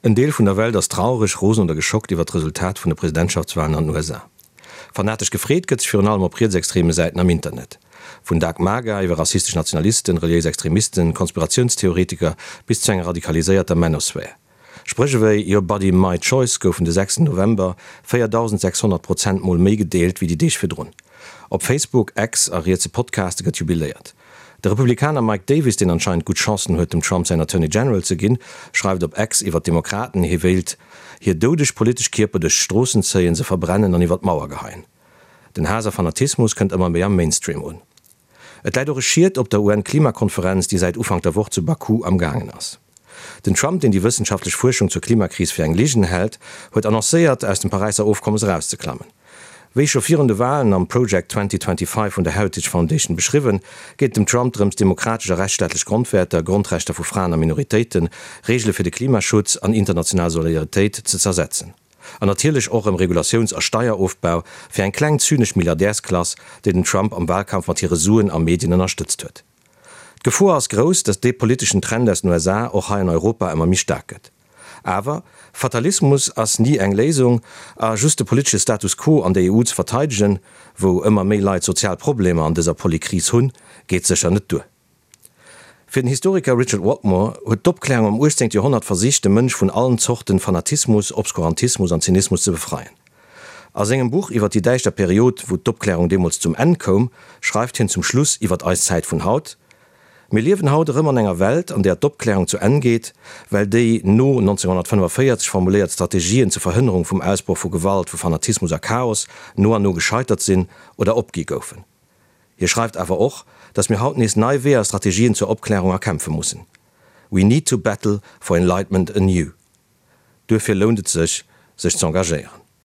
En Deel vun der Welt ass traureg, rosen oder geschockt iwwer d'Resultat vun de Presidentschaftswalen an den USA. Fanatesch gefreet gëtt sech virun allem op rietsextreme Säiten am Internet. Vun Dark MAGA iwwer rassistesch Nationalisten, reliéis Extremisten, Konspiratiounstheoretiker bis zu enger radikaliséierter Manosphär. Spréch ewéi Your body, my choice goufen de 6 November 4.600 Prozent mol méi gedeelt wéi déi Deeg virdrun. Op Facebook, X a rietse Podcaste gëtt jubiléiert. De Republikaner Mike Davis, deen anscheinend gutt Chancen huet, dem Trump säin Attorney General ze ginn, schreift op X iwwer d'Demokraten, hie wéilt hir doudeg politesch Kierper duerch d'Stroossen zéien, se verbrennen an iwwer d'Mauer geheien. Den Haass a Fanatismus kënnt ëmmer méi am Mainstream un. Et läit och e Schiet op der UN-Klimakonferenz, déi säit Ufank der Woch zu Baku am gaangen ass. Den Trump, deen déi wëssenschaftlech Fuerschung zur Klimakris fir eng Ligen hält, huet annoncéiert, aus dem Paräisser Ofkommes erauszeklammen. Wéi scho virun de Walen am Project 2025 vun der Heritage Foundation beschriwwen, geet et dem Trump drëms, demokratesch a rechtsstaatlech Grondwäerter, Grondrechter vu Fraen a Minoritéiten, Reegele fir de Klimaschutz an international Solidaritéit ze zersetzen. An natierlech och ëm Regulatiouns a Steierofbau fir eng kleng zynesch Milliardärsklass, déi den Trump am Walkampf mat hire Suen a Medien ënnerstëtzt huet. D'Gefor ass grouss, datt dee politeschen Trend aus den USA och hei an Europa ëmmer méi staark gëtt. Awer, Fatalismus ass ni eng Léisung, a just de politesche Status quo an der EU ze verteidegen, wou ëmmer méi Leit sozial Problemer an dëser Polykris hunn, geet sécher net duer. Fir den Historiker Richard Whatmore huet d'Opklärung am 18. Joerhonnert versicht, de Mënsch vun allen Zorten Fanatismus, Obskurantismus an Zynismus ze befreien. A sengem Buch iwwer déi däischter Period, wou d'Opklärung deemools zum Enn koum, schreift hien zum Schluss iwwer eis Zäit vun haut, Mir liewen haut erëm an enger Welt, an där d'Opklärung zu Enn geet, well déi no 1945 formuléiert Strategien zur Verhënnerung vum Ausbroch vu Gewalt, vu Fanatismus a Chaos no an no gescheitert sinn oder opgi goufen. Hie schreift awer och, datt mir haut nees nei Weeër a Strategien zur Opklärung erkämpfe mussen, We need to battle for enlightenment anew. Duerfir lount et sech, sech z'engagéieren.